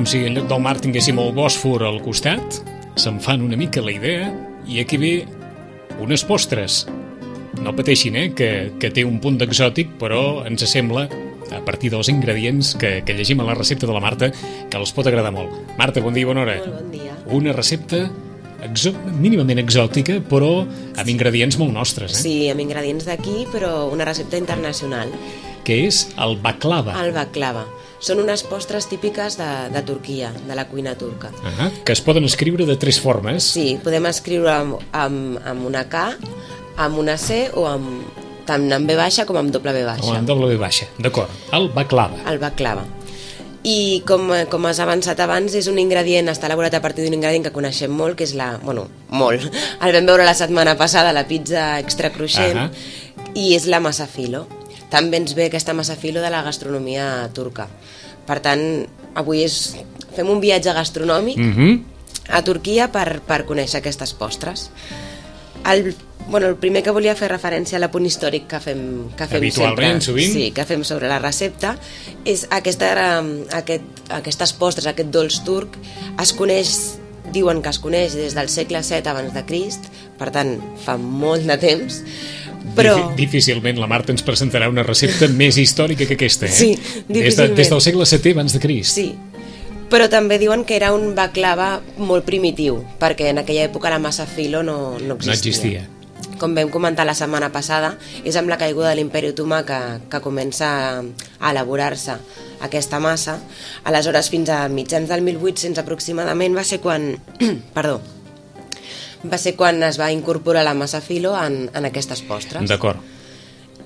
com si en lloc del mar tinguéssim el Bòsfor al costat. Se'n fan una mica la idea i aquí ve unes postres. No pateixin, que té un punt d'exòtic, però ens sembla, a partir dels ingredients que llegim a la recepta de la Marta, que els pot agradar molt. Marta, bon dia i bona hora. Molt bon dia. Una recepta mínimament exòtica, però amb ingredients molt nostres. Sí, amb ingredients d'aquí, però una recepta internacional. Que és el baklava. El baklava. Són unes postres típiques de Turquia, de la cuina turca. Que es poden escriure de 3 formes. Sí, podem escriure amb una K, amb una C o tant amb B baixa com amb doble B baixa. O amb doble B baixa, d'acord. El baklava. El baklava. I com has avançat abans, és un ingredient, està elaborat a partir d'un ingredient que coneixem molt, que és molt. El vam veure la setmana passada, la pizza extra cruixent, i és la massa filo. També ens ve aquesta massa filo de la gastronomia turca. Per tant, avui fem un viatge gastronòmic a Turquia per conèixer aquestes postres. El primer que volia fer referència a l'apunt històric que fem habitualment, sempre, sovint. Sí, que fem sobre la recepta, és aquestes postres, aquest dolç turc, diuen que es coneix des del segle VII abans de Crist, per tant, fa molt de temps, però... Difícilment la Marta ens presentarà una recepta més històrica que aquesta, Sí, difícilment. Des del segle VII abans de Crist. Sí, però també diuen que era un baklava molt primitiu, perquè en aquella època la massa filo no existia. Com vam comentar la setmana passada, és amb la caiguda de l'Imperi Otomà que comença a elaborar-se aquesta massa. Aleshores, fins a mitjans del 1800 aproximadament, va ser quan es va incorporar la massa filo en aquestes postres. D'acord.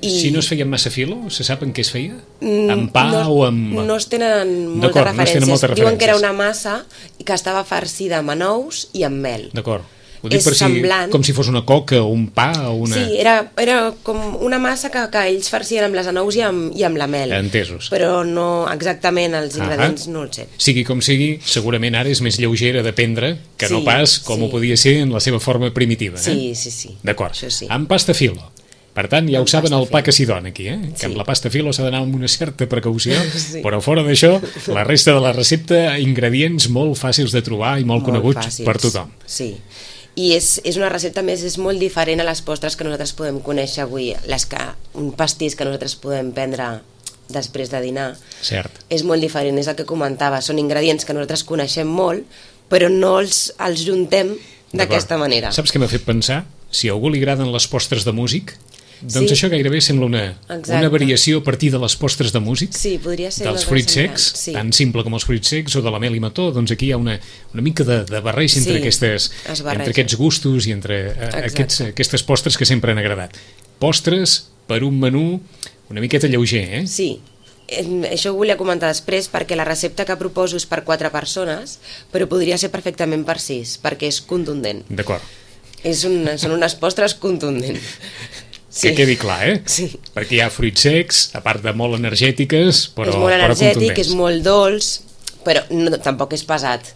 Si no es feia amb massa filo, se sap en què es feia? Amb pa o amb... No es tenen moltes referències. Diuen que era una massa que estava farcida amb anous i amb mel. D'acord. Ho dic per semblant. Com si fos una coca o un pa o una... Sí, era com una massa que ells farcien amb les anous i amb la mel. Entesos. Però no exactament, els ingredients no els sé. Sigui com sigui, segurament ara és més lleugera de prendre que no pas com ho podia ser en la seva forma primitiva. Sí. D'acord. Sí. Amb pasta filo. Per tant, ja ho saben el pa que s'hi dona aquí, que amb la pasta filo s'ha d'anar amb una certa precaució, però fora d'això, la resta de la recepta, ingredients molt fàcils de trobar i molt coneguts per tothom. Sí. I és una recepta més, és molt diferent a les postres que nosaltres podem conèixer avui, un pastís que nosaltres podem prendre després de dinar. Cert. És molt diferent, és el que comentava, són ingredients que nosaltres coneixem molt, però no els juntem d'aquesta manera. Saps què m'ha fet pensar? Si a algú li agraden les postres de músic, doncs això gairebé sembla una variació a partir de les postres de músic, dels fruits secs, tan simple com els fruits secs o de la mel i mató. Doncs aquí hi ha una mica de barreja entre aquests gustos i entre aquestes postres que sempre han agradat. Postres per un menú una miqueta lleuger, Sí, això ho volia comentar després, perquè la recepta que proposo és per 4 persones, però podria ser perfectament per 6, perquè és contundent. D'acord. Són unes postres contundents. Que quedi clar, Sí. Perquè hi ha fruits secs, a part de molt energètiques, però contundents. És molt energètic, és molt dolç, però tampoc és pesat.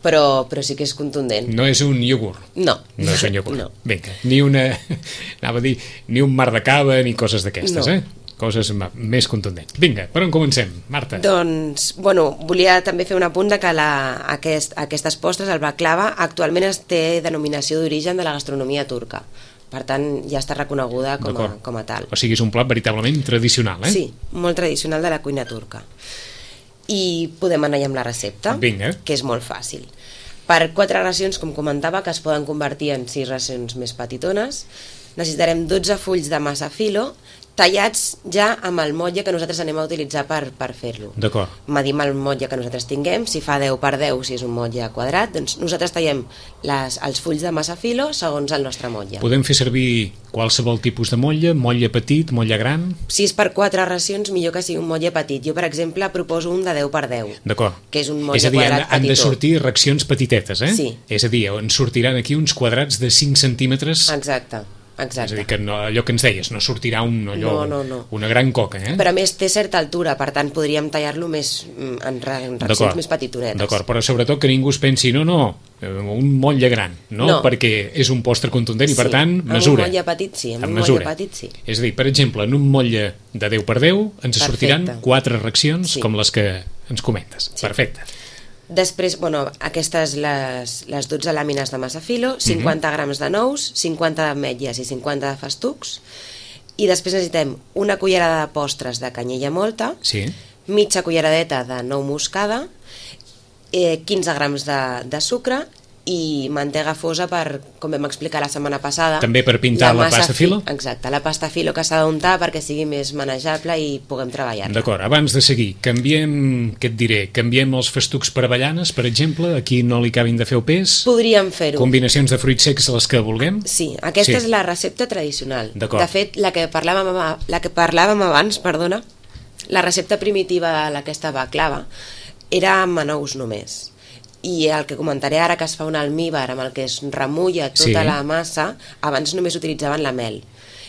Però sí que és contundent. No és un iogurt. No. No és un iogurt. No. Vinga, ni un mar de cava ni coses d'aquestes, Coses més contundents. Vinga, per on comencem, Marta? Doncs, volia també fer un apunt de que aquestes postres, el baklava, actualment té denominació d'origen de la gastronomia turca. Per tant, ja està reconeguda com a tal. O sigui, és un plat veritablement tradicional, Sí, molt tradicional de la cuina turca. I podem anar ja amb la recepta, que és molt fàcil. Per 4 racions, com comentava, que es poden convertir en 6 racions més petitones, necessitarem 12 fulls de massa filo, tallats ja amb el motlle que nosaltres anem a utilitzar per fer-lo. D'acord. Medim el motlle que nosaltres tinguem, si fa 10 per 10, si és un motlle quadrat, doncs nosaltres tallem els fulls de massa filo segons el nostre motlle. Podem fer servir qualsevol tipus de motlle petit, motlle gran? Si és per 4 racions, millor que sigui un motlle petit. Jo, per exemple, proposo un de 10 per 10. D'acord. Que és un motlle quadrat petitó. Han de sortir raccions petitetes, Sí. És a dir, en sortiran aquí uns quadrats de 5 centímetres... Exacte. És a dir, que allò que ens deies, no sortirà una gran coca, Però a més té certa altura, per tant podríem tallar-lo més en raccions més petitonetes. D'acord, però sobretot que ningú es pensi, un motlle gran, perquè és un postre contundent i per tant mesura. Amb un motlle petit sí, És a dir, per exemple, en un motlle de 10 per 10 ens sortiran 4 raccions com les que ens comentes. Perfecte. Després, aquestes les 12 làmines de massa filo, 50 grams de nous, 50 d'ametlles i 50 de festucs, i després necessitem una cullerada de postres de canyella mòlta, mitja culleradeta de nou moscada, 15 grams de sucre i mantega fosa per, com vam explicar la setmana passada... També per pintar la pasta filo? Exacte, la pasta filo que s'ha d'untar perquè sigui més manejable i puguem treballar-la. D'acord, abans de seguir, canviem els festucs per avellanes, per exemple, aquí no li acabin de fer el pes? Podríem fer-ho. Combinacions de fruits secs les que vulguem? Sí, aquesta és la recepta tradicional. D'acord. De fet, la que parlàvem abans, la recepta primitiva d'aquesta baklava era amb anous només. I el que comentaré ara, que es fa un almíbar amb el que es remulla tota la massa, abans només utilitzaven la mel.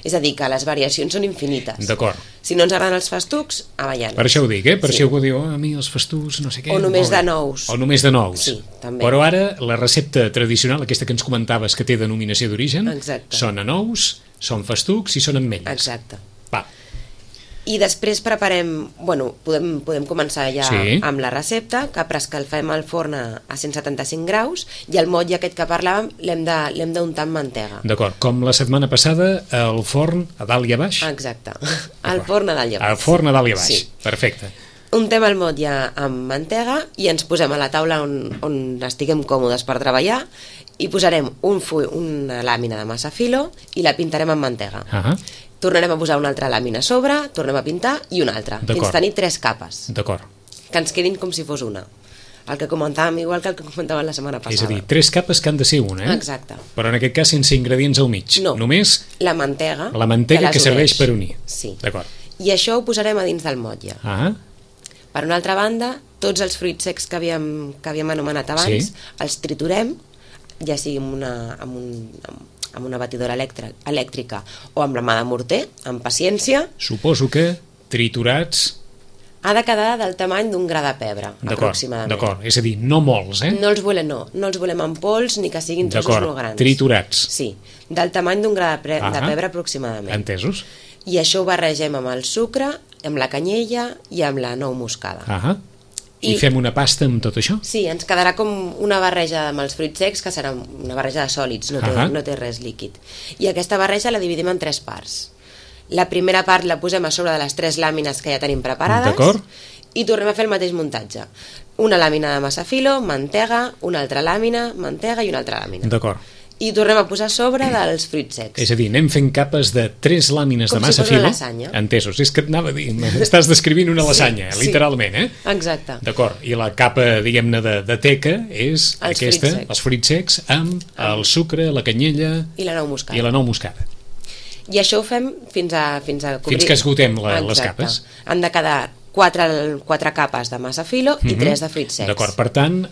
És a dir, que les variacions són infinites. D'acord. Si no ens agraden els festucs, avellanes. Per això ho dic, Per això ho diu, a mi els festucs, no sé què... O només de nous. O només de nous. Sí, també. Però ara, la recepta tradicional, aquesta que ens comentaves que té denominació d'origen, són anous, són festucs i són ametlles. Exacte. Va. I després preparem, podem començar ja amb la recepta, que preescalfem el forn a 175 graus i el motlle aquest que parlàvem l'hem d'untar amb mantega. D'acord, com la setmana passada, el forn a dalt i a baix? Exacte, el forn a dalt i a baix. El forn a dalt i a baix, perfecte. Untem el motlle amb mantega i ens posem a la taula on estiguem còmodes per treballar i posarem una làmina de massa filo i la pintarem amb mantega. Tornarem a posar una altra làmina a sobre, tornem a pintar i una altra, fins tenir 3 capes. D'acord. Que ens quedin com si fos una. El que comentàvem, igual que el que comentàvem la setmana passada. És a dir, 3 capes que han de ser una, Exacte. Però en aquest cas sense ingredients al mig. No, només la mantega que serveix per unir. Sí. D'acord. I això ho posarem a dins del motlle. Per una altra banda, tots els fruits secs que havíem anomenat abans, els triturem, ja sigui amb una batidora elèctrica o amb la mà de morter, amb paciència. Suposo que triturats... Ha de quedar del tamany d'un gra de pebre, aproximadament. D'acord, és a dir, no molts, No els volem en pols ni que siguin trossos molt grans. Triturats. Sí, del tamany d'un gra de pebre aproximadament. Entesos. I això ho barregem amb el sucre, amb la canyella i amb la nou moscada. I fem una pasta amb tot això? Sí, ens quedarà com una barreja amb els fruits secs, que serà una barreja de sòlids, no té res líquid. I aquesta barreja la dividim en 3 parts. La primera part la posem a sobre de les 3 làmines que ja tenim preparades i tornem a fer el mateix muntatge. Una làmina de massa filo, mantega, una altra làmina, mantega i una altra làmina. D'acord. I tornem a posar a sobre dels fruits secs. És a dir, anem fent capes de 3 làmines de massa filo. Com si fos una lasanya. Entesos, és que et anava a dir, estàs descrivint una lasanya, literalment, Exacte. D'acord, i la capa, diguem-ne, de teca és aquesta, els fruits secs, amb el sucre, la canyella... I la nou moscada. I això ho fem fins a cobrir... Fins que esgotem les capes. Han de quedar 4 capes de massa filo i 3 de fruits secs. D'acord, per tant,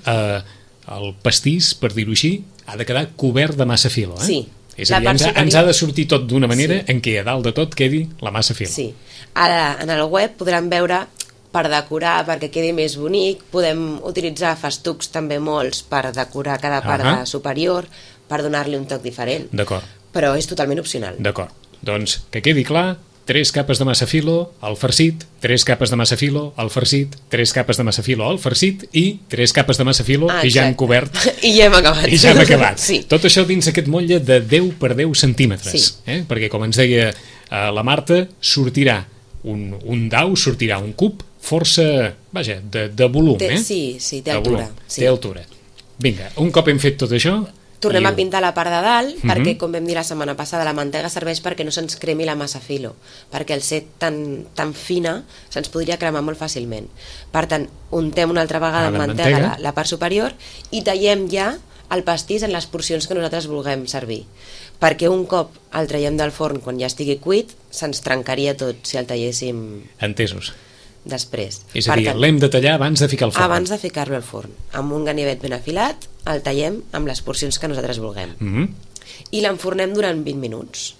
el pastís, per dir-ho així, ha de quedar cobert de massa filo, Sí. És a dir, ens ha de sortir tot d'una manera en què a dalt de tot quedi la massa filo. Sí. Ara, en el web podran veure, per decorar, perquè quedi més bonic, podem utilitzar festucs també molts per decorar cada part superior, per donar-li un toc diferent. D'acord. Però és totalment opcional. D'acord. Doncs, que quedi clar, 3 capes de massa filo al farcit, 3 capes de massa filo al farcit, 3 capes de massa filo al farcit i 3 capes de massa filo i ja hem cobert. I ja hem acabat. I ja hem acabat. Sí. Tot això dins aquest motlle de 10 per 10 centímetres. Perquè, com ens deia la Marta, sortirà un dau, sortirà un cub força, vaja, de volum. Sí, té altura. Té altura. Vinga, un cop hem fet tot això... Tornem a pintar la part de dalt, perquè, com vam dir la setmana passada, la mantega serveix perquè no se'ns cremi la massa filo, perquè al ser tan fina se'ns podria cremar molt fàcilment. Per tant, untem una altra vegada amb mantega la part superior i tallem ja el pastís en les porcions que nosaltres vulguem servir, perquè un cop el traiem del forn quan ja estigui cuit, se'ns trencaria tot si el talléssim... Entesos. Després. És a dir, l'hem de tallar abans de ficar al forn. Abans de ficar-lo al forn. Amb un ganivet ben afilat, el tallem amb les porcions que nosaltres vulguem. I l'enfornem durant 20 minuts.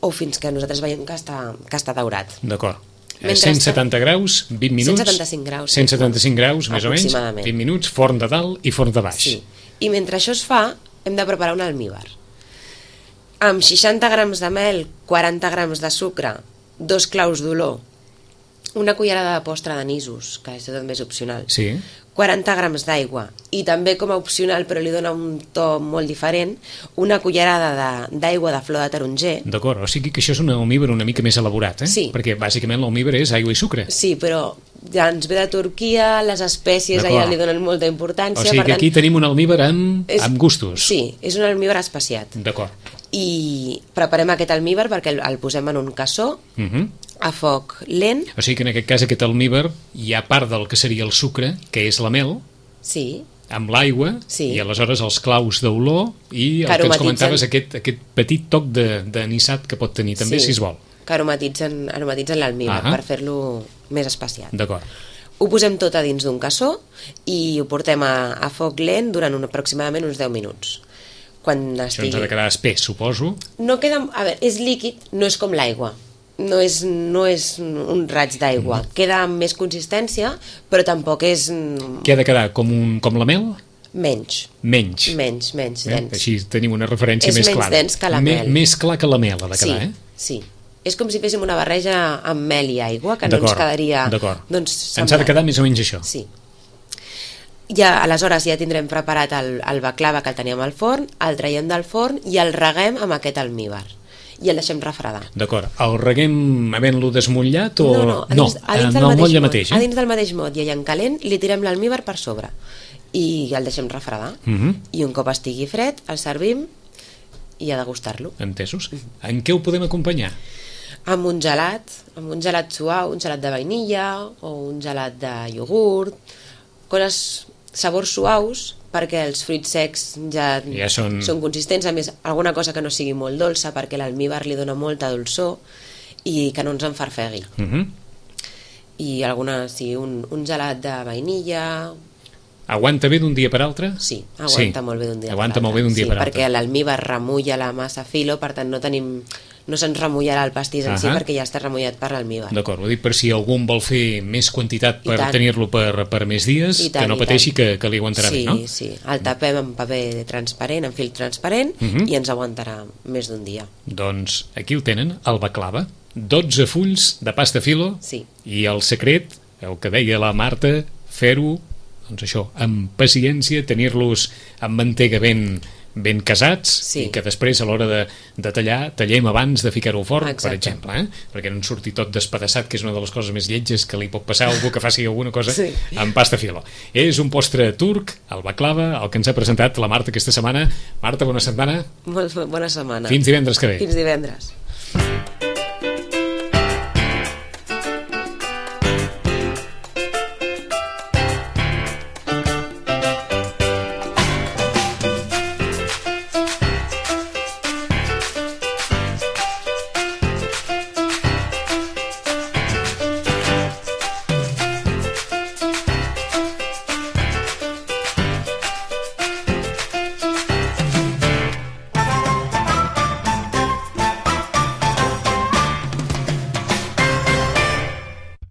O fins que nosaltres veiem que està daurat. D'acord. 170 graus, 20 minuts... 175 graus. 175 graus, més o menys. 20 minuts, forn de dalt i forn de baix. Sí. I mentre això es fa, hem de preparar un almíbar. Amb 60 grams de mel, 40 grams de sucre, 2 claus d'olor, una cullerada de postre d'anissos, que això també és opcional, 40 grams d'aigua i també com a opcional, però li dona un to molt diferent, una cullerada d'aigua de flor de taronger. D'acord, o sigui que això és un almíbar una mica més elaborat, Sí. Perquè bàsicament l'almíbar és aigua i sucre. Sí, però ja ens ve de Turquia, les espècies allà li donen molta importància. O sigui que aquí tenim un almíbar amb gustos. Sí, és un almíbar espaciat. D'acord. I preparem aquest almíbar perquè el posem en un cassó, a foc lent. O sigui que en aquest cas aquest almíbar hi ha part del que seria el sucre, que és la mel, sí, amb l'aigua, i aleshores els claus d'olor i el que ens comentaves, aquest petit toc d'anisat que pot tenir també, si es vol. Que aromatitzen l'almíbar per fer-lo més espaciat. D'acord. Ho posem tot a dins d'un cassó i ho portem a foc lent durant aproximadament uns 10 minuts. Això ens ha de quedar espès, suposo. No queda... A veure, és líquid, no és com l'aigua. No és un raig d'aigua. Queda amb més consistència, però tampoc és... Què ha de quedar? Com la mel? Menys. Menys, dens. Així tenim una referència més clara. És menys dens que la mel. Més clar que la mel ha de quedar, Sí. És com si féssim una barreja amb mel i aigua, que no ens quedaria... D'acord. Ens ha de quedar més o menys això. Sí. Aleshores ja tindrem preparat el baklava que el teníem al forn, el traiem del forn i el reguem amb aquest almíbar i el deixem refredar. D'acord. El reguem havent-lo desmotllat o... No, a dins del mateix mot. A dins del mateix mot i allà en calent li tirem l'almíbar per sobre i el deixem refredar. I un cop estigui fred el servim i a degustar-lo. Entesos. En què ho podem acompanyar? Amb un gelat suau, un gelat de vainilla o un gelat de iogurt, coses, sabors suaus, perquè els fruits secs ja són consistents, a més alguna cosa que no sigui molt dolça perquè l'almíbar li dona molta dolçor i que no ens enfarfegui. I un gelat de vainilla. Aguanta bé d'un dia per altre? Sí, aguanta molt bé d'un dia per altre. Perquè l'almíbar remulla la massa filo, per tant no se'ns remullarà el pastís en si perquè ja està remullat per l'almíbar. D'acord, ho dic per si algú en vol fer més quantitat per tenir-lo per més dies, que no pateixi que li aguantarà bé, no? Sí, el tapem amb paper transparent, amb fil transparent, i ens aguantarà més d'un dia. Doncs aquí ho tenen, el baklava, 12 fulls de pasta filo, i el secret, el que deia la Marta, fer-ho, doncs això, amb paciència, tenir-los amb mantega ben casats, i que després a l'hora de tallar, tallem abans de ficar-ho al forn, per exemple, perquè no en surti tot despedaçat, que és una de les coses més lletges que li pot passar a algú que faci alguna cosa amb pasta filo. És un postre turc, el baklava, el que ens ha presentat la Marta aquesta setmana. Marta, bona setmana. Molt bona setmana. Fins divendres que ve. Fins divendres.